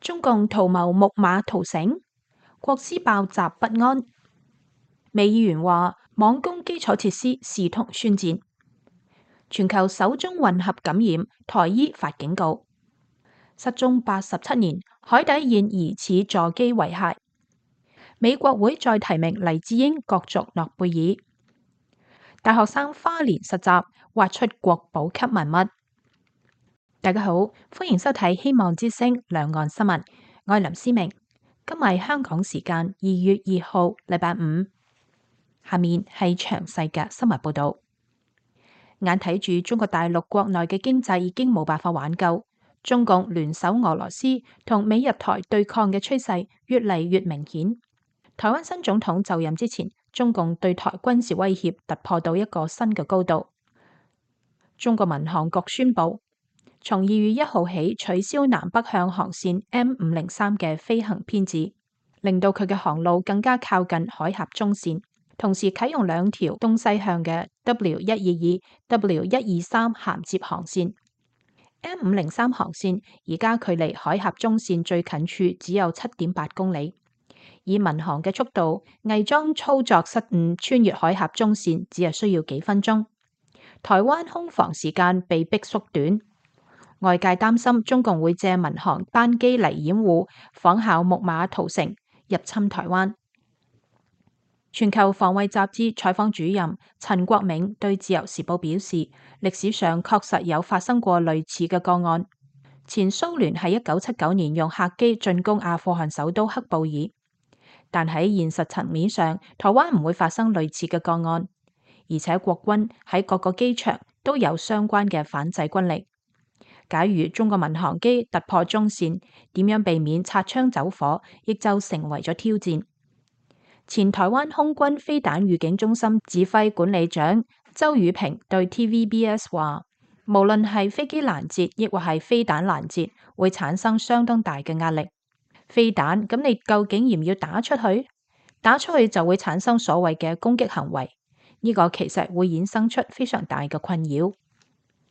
中共圖謀木馬屠城，國師爆習不安。美議員話網攻基礎設施視同宣戰。全球首宗混合感染，台醫發警告。失蹤87年，海底現疑似座機遺骸。美國會再提名黎智英角逐諾貝爾。大學生花蓮實習挖出國寶級文物。大家好，歡迎收睇希望之聲兩岸新聞，我係林思明。今日係香港時間2月2號，禮拜五。下面係詳細嘅新聞報道。眼睇住中國大陸國內嘅經濟已經冇辦法挽救，中共聯手俄羅斯同美日台對抗嘅趨勢越嚟越明顯。台灣新總統就任之前，中共對台軍事威脅突破到一個新嘅高度。中國民航局宣布，從2月1號起取消南北向航線 M503 嘅飛行編制，令到佢嘅航路更加靠近海峽中線。同時啟用2條東西向嘅 W122、W123 銜接航線。M503 航線而家距離海峽中線最近處只有7.8公里，以民航嘅速度，偽裝操作失誤穿越海峽中線只係需要幾分鐘。台灣空防時間被迫縮短，外界擔心中共會借民航班機嚟掩護，仿效木馬屠城入侵台灣。全球防衛雜誌採訪主任陳國銘對自由時報表示，歷史上確實有發生過類似嘅個案。前蘇聯喺1979年用客機進攻阿富汗首都喀布爾，但喺現實層面上，台灣唔會發生類似嘅個案，而且國軍喺各個機場都有相關嘅反制軍力。假如中國民航機突破中線，點樣避免擦槍走火，亦就成為咗挑戰。前台灣空軍飛彈預警中心指揮管理長周宇平對 TVBS 話，無論係飛機攔截亦或係飛彈攔截，會產生相當大嘅壓力。飛彈咁，你究竟要唔要打出去？打出去就會產生所謂嘅攻擊行為，呢個其實會衍生出非常大嘅困擾。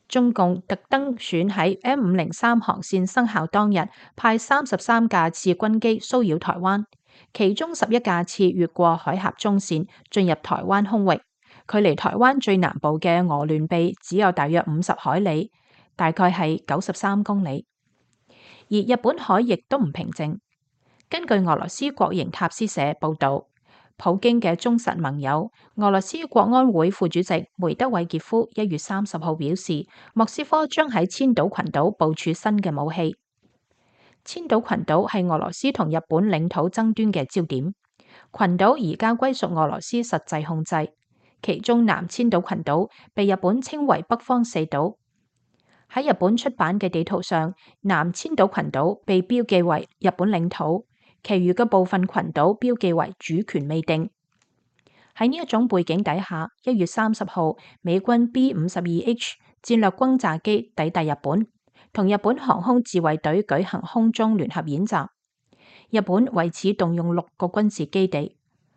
中共特登選喺 M503 航線生效當日，派33架次軍機騷擾台灣。其中11架次越過海峽中線進入台灣空域，距離台灣最南部嘅鵝鑾鼻只有大約50海里，大概係93公里。而日本海亦都唔平靜。根據俄羅斯國營塔斯社報道，普京嘅忠實盟友俄羅斯國安會副主席梅德韋傑夫1月30號表示，莫斯科將喺千島群島部署新嘅武器。千島群島係俄羅斯同日本領土爭端嘅焦點，群島而家歸屬俄羅斯實際控制，其中南千島群島被日本稱為北方四島。喺日本出版嘅地圖上，南千島群島被標記為日本領土，其餘嘅部分群島標記為主權未定。喺呢一種背景底下，1月30號，美軍 B-52H 戰略轟炸機抵達日本，同日本航空自衛隊舉行空中聯合演習。日本為此動用6個軍事基地，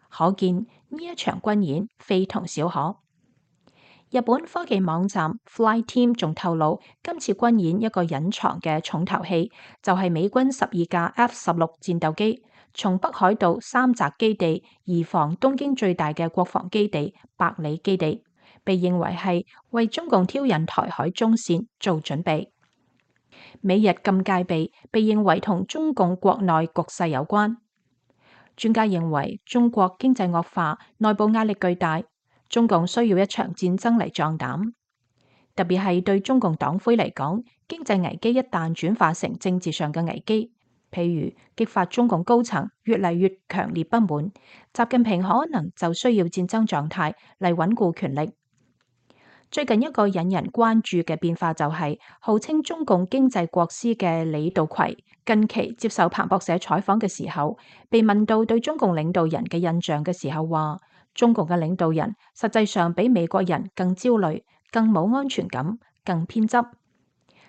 可見呢一場軍演非同小可。日本科技網站 Flyteam 仲透露，今次軍演一個隱藏嘅重頭戲就係美軍12架 F-16戰鬥機從北海道三澤基地移防東京最大嘅國防基地百里基地，被認為係為中共挑釁台海中線做準備。美日禁戒備被認為同中共國內局勢有關。專家認為中國經濟惡化，內部壓力巨大，中共需要一場戰爭嚟壯膽。特別係對中共黨魁嚟講，經濟危機一旦轉化成政治上嘅危機，譬如激發中共高層越嚟越強烈不滿，習近平可能就需要戰爭狀態嚟穩固權力。最近一個引人關注嘅變化就係，號稱中共經濟國師嘅李稻葵近期接受彭博社採訪嘅時候，被問到對中共領導人嘅印象嘅時候，話中共嘅領導人實際上比美國人更焦慮、更冇安全感、更偏執。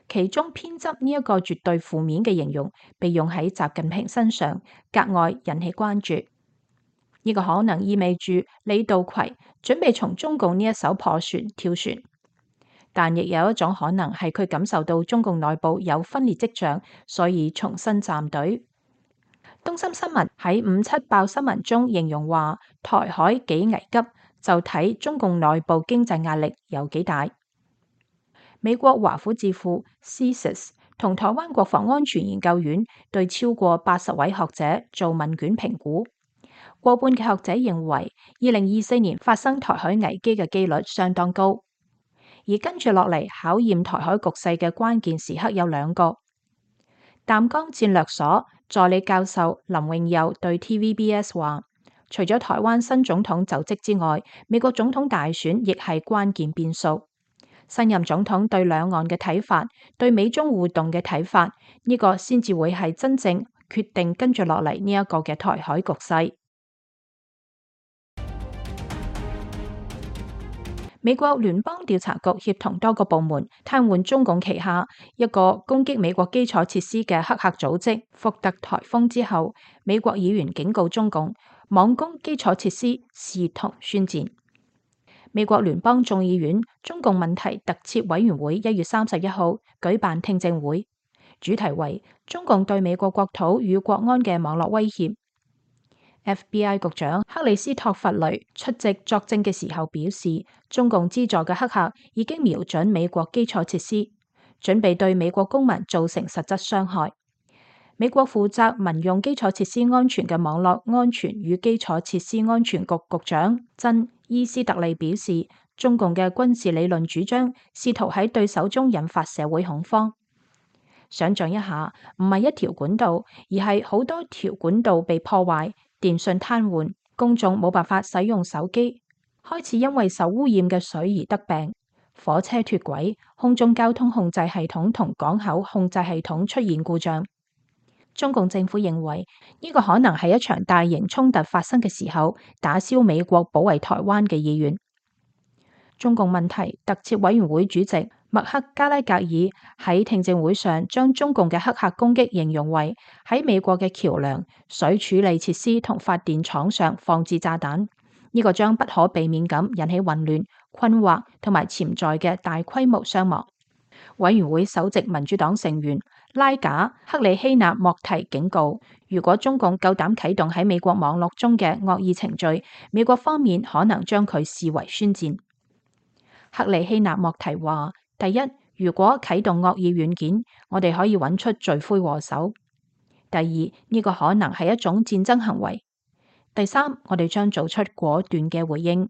其中偏執呢一個絕對負面嘅形容被用喺習近平身上，格外引起關注。呢個可能意味住李稻葵準備從中共呢一艘破船跳船。但亦有一種可能係佢感受到中共內部有分裂跡象，所以重新站隊。東森新聞喺5·7爆新聞中形容話，台海幾危急，就睇中共內部經濟壓力有幾大。美國華府智庫 CSIS 同台灣國防安全研究院對超過80位學者做問卷評估，過半嘅學者認為2024年發生台海危機嘅機率相當高。而跟住落嚟考驗台海局勢嘅關鍵時刻有2個。淡江戰略所助理教授林永佑對 TVBS 話，除咗台灣新總統就職之外，美國總統大選亦係關鍵變數。新任總統對兩岸嘅睇法，對美中互動嘅睇法，呢個先至會係真正決定跟住落嚟呢一個嘅台海局勢。美國聯邦調查局協同多個部門癱瘓中共旗下一個攻擊美國基礎設施嘅黑客組織福特颱風之後，美國議員警告中共網攻基礎設施視同宣戰。美國聯邦眾議院中共問題特設委員會1月31號舉辦聽證會，主題為中共對美國國土與國安嘅網絡威脅。FBI 局長克里斯托弗雷出席作證嘅時候表示，中共資助嘅黑客已經瞄準美國基礎設施，準備對美國公民造成實質傷害。美國負責民用基礎設施安全嘅網絡安全與基礎設施安全局局長珍伊斯特利表示，中共嘅軍事理論主張試圖喺對手中引發社會恐慌。想象一下，唔係一條管道，而係好多條管道被破壞，電信癱瘓，公眾冇辦法使用手機，開始因為受污染嘅水而得病，火車脫軌，空中交通控制系統同港口控制系統出現故障。中共政府認為呢個可能係一場大型衝突發生嘅時候，打消美國保衛台灣嘅意願。中共問題特設委員會主席麥克加拉格爾喺聽證會上將中共嘅黑客攻擊形容為喺美國嘅橋梁、水處理設施同發電廠上放置炸彈，呢個將不可避免咁引起混亂、困惑同埋潛在嘅大規模傷亡。委員會首席民主黨成員拉賈克里希納莫提警告，如果中共夠膽啟動喺美國網絡中嘅惡意程序，美國方面可能將佢視為宣戰。克里希納莫提話：第一，如果啟動惡意軟件，我哋可以揾出罪魁禍首；第二，呢個可能係一種戰爭行為；第三，我哋將做出果斷嘅回應。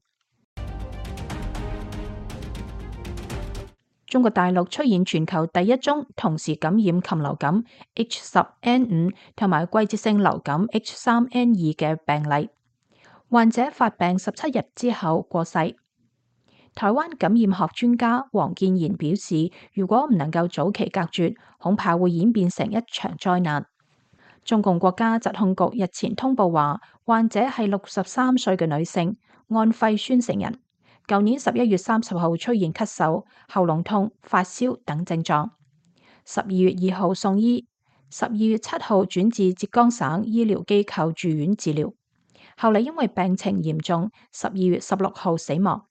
中國大陸出現全球第一宗同時感染禽流感 H10N5 同埋季節性流感 H3N2 嘅病例，患者發病17日之後過世。台灣感染學專家王建賢表示，如果唔能夠早期隔絕，恐怕會演變成一場災難。中共國家疾控局日前通報話，患者係63歲嘅女性，安徽宣城人，舊年11月30號出現咳嗽、喉嚨痛、發燒等症狀，12月2號送醫，12月7號轉至浙江省醫療機構住院治療，後嚟因為病情嚴重，12月16號死亡。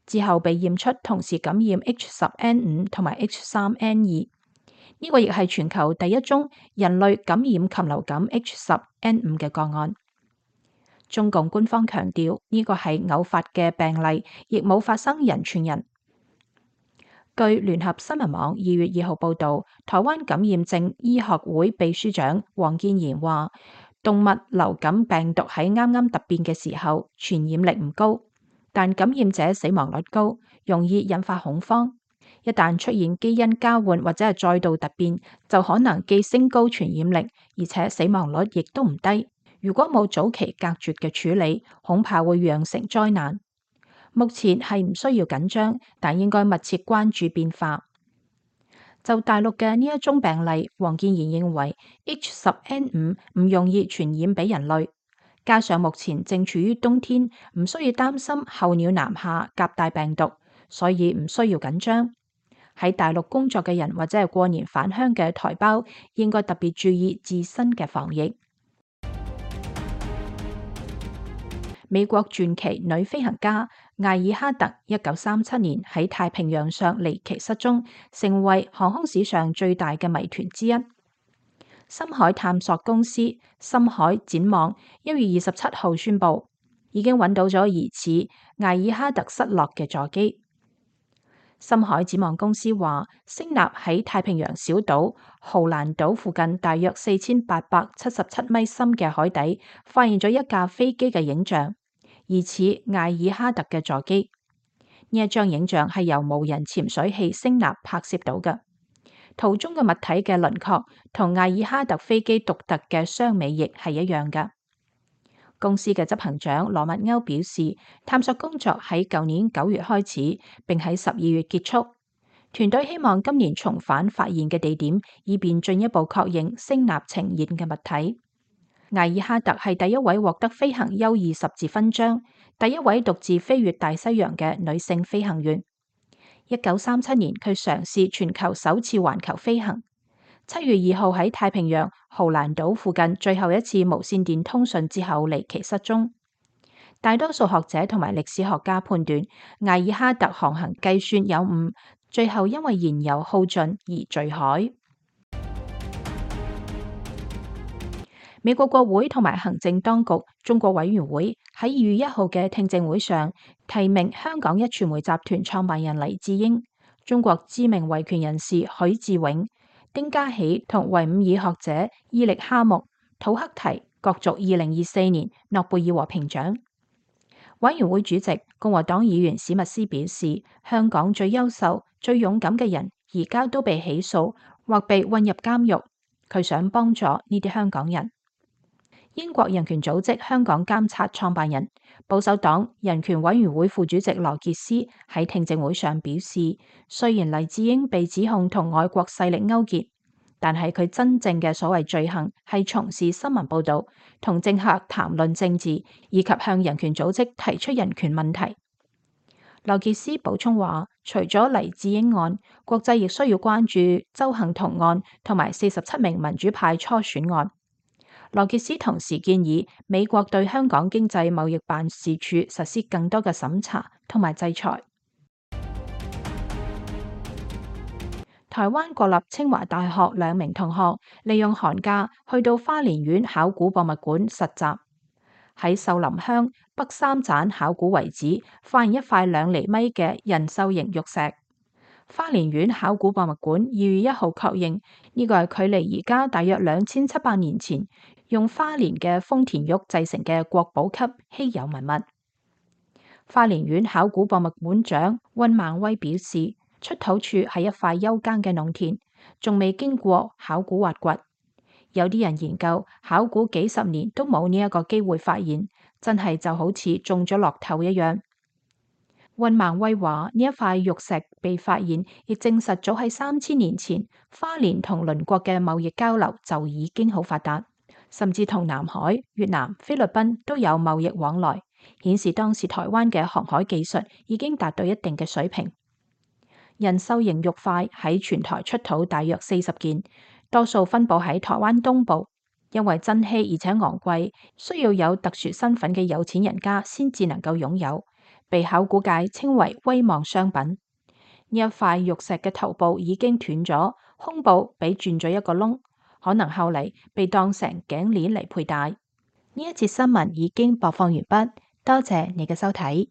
之後被驗出同時感染 H10N5 同埋 H3N2， 呢個亦係全球第一宗人類感染禽流感 H10N5 嘅個案。中共官方強調呢個係偶發嘅病例，亦冇發生人傳人。據聯合新聞網2月2號報道，台灣感染症醫學會秘書長王建賢話，動物流感病毒喺啱啱突變嘅時候，傳染力唔高。但感染者死亡率高，容易引發恐慌。一旦出現基因交換或者係再度突變，就可能既升高傳染力，而且死亡率亦都唔低。如果冇早期隔絕嘅處理，恐怕會釀成災難。目前係唔需要緊張，但應該密切關注變化。就大陸嘅呢一宗病例，王建賢認為 H10N5 唔容易傳染俾人類。加上目前正處於冬天，唔需要擔心候鳥南下夾帶病毒，所以唔需要緊張。喺大陸工作嘅人或者係過年返鄉嘅台胞，應該特別注意自身嘅防疫。美國傳奇女飛行家艾爾哈特1937年喺太平洋上離奇失蹤，成為航空史上最大嘅謎團之一。深海探索公司深海展望1月27號宣布，已經揾到咗疑似艾爾哈特失落嘅座機。深海展望公司話，聲納喺太平洋小島豪蘭島附近大約4877米深嘅海底，發現咗一架飛機嘅影像，疑似艾爾哈特嘅座機。呢一張影像係由無人潛水器聲納拍攝到嘅，圖中嘅物體嘅輪廓同艾爾哈特飛機獨特嘅雙尾翼係一樣嘅。公司嘅執行長羅密歐表示，探索工作喺舊年9月開始，並喺12月結束。團隊希望今年重返發現嘅地點，以便進一步確認聲納呈現嘅物體。艾爾哈特係第一位獲得飛行優異十字勳章、第一位獨自飛越大西洋嘅女性飛行員。1937年，佢嘗試全球首次環球飛行。7月2號喺太平洋豪蘭島附近最後一次無線電通訊之後離奇失蹤。大多數學者同埋歷史學家判斷艾爾哈特航行計算有誤，最後因為燃油耗盡而墜海。美國國會同埋行政當局中國委員會喺2月1號嘅聽證會上提名香港壹傳媒集團創辦人黎智英、中國知名維權人士許志永、丁家喜同維吾爾學者伊力哈木、土克提角逐2024年諾貝爾和平獎。委員會主席共和黨議員史密斯表示，香港最優秀、最勇敢嘅人而家都被起訴或被困入監獄，佢想幫助呢啲香港人。英國人權組織香港監察創辦人、保守黨人權委員會副主席羅傑斯喺聽證會上表示，雖然黎智英被指控同外國勢力勾結，但係佢真正嘅所謂罪行係從事新聞報導、同政客談論政治，以及向人權組織提出人權問題。羅傑斯補充話，除咗黎智英案，國際亦需要關注鄒幸彤案同埋47名民主派初選案。羅傑斯同時建議美國對香港經濟貿易辦事處實施更多嘅審查同埋制裁。台灣國立清華大學2名同學利用寒假去到花蓮縣考古博物館實習，喺秀林鄉北三盞考古遺址發現一塊2厘米嘅人獸形玉石。花蓮縣考古博物館2月1號確認呢個係距離而家大約2700年前用花蓮嘅豐田玉製成嘅國寶級稀有文物。花蓮縣考古博物館長溫孟威表示，出土處係一塊休耕嘅農田，仲未經過考古挖掘。有啲人研究考古幾十年都冇呢一個機會發現，真係就好似中咗樂透一樣。溫孟威話：呢一塊玉石被發現，亦證實早喺3000年前，花蓮同鄰國嘅貿易交流就已經好發達，甚至同南海、越南、菲律賓都有貿易往來，顯示當時台灣嘅航海技術已經達到一定嘅水平。人獸形玉塊喺全台出土大約40件，多數分佈喺台灣東部，因為珍稀而且昂貴，需要有特殊身份嘅有錢人家先至能夠擁有。被考古界稱為威望商品。呢一塊玉石嘅頭部已經斷咗，胸部被鑽咗一個窿，可能後嚟被當成頸鏈嚟佩戴。呢一節新聞已經播放完畢，多謝你嘅收睇。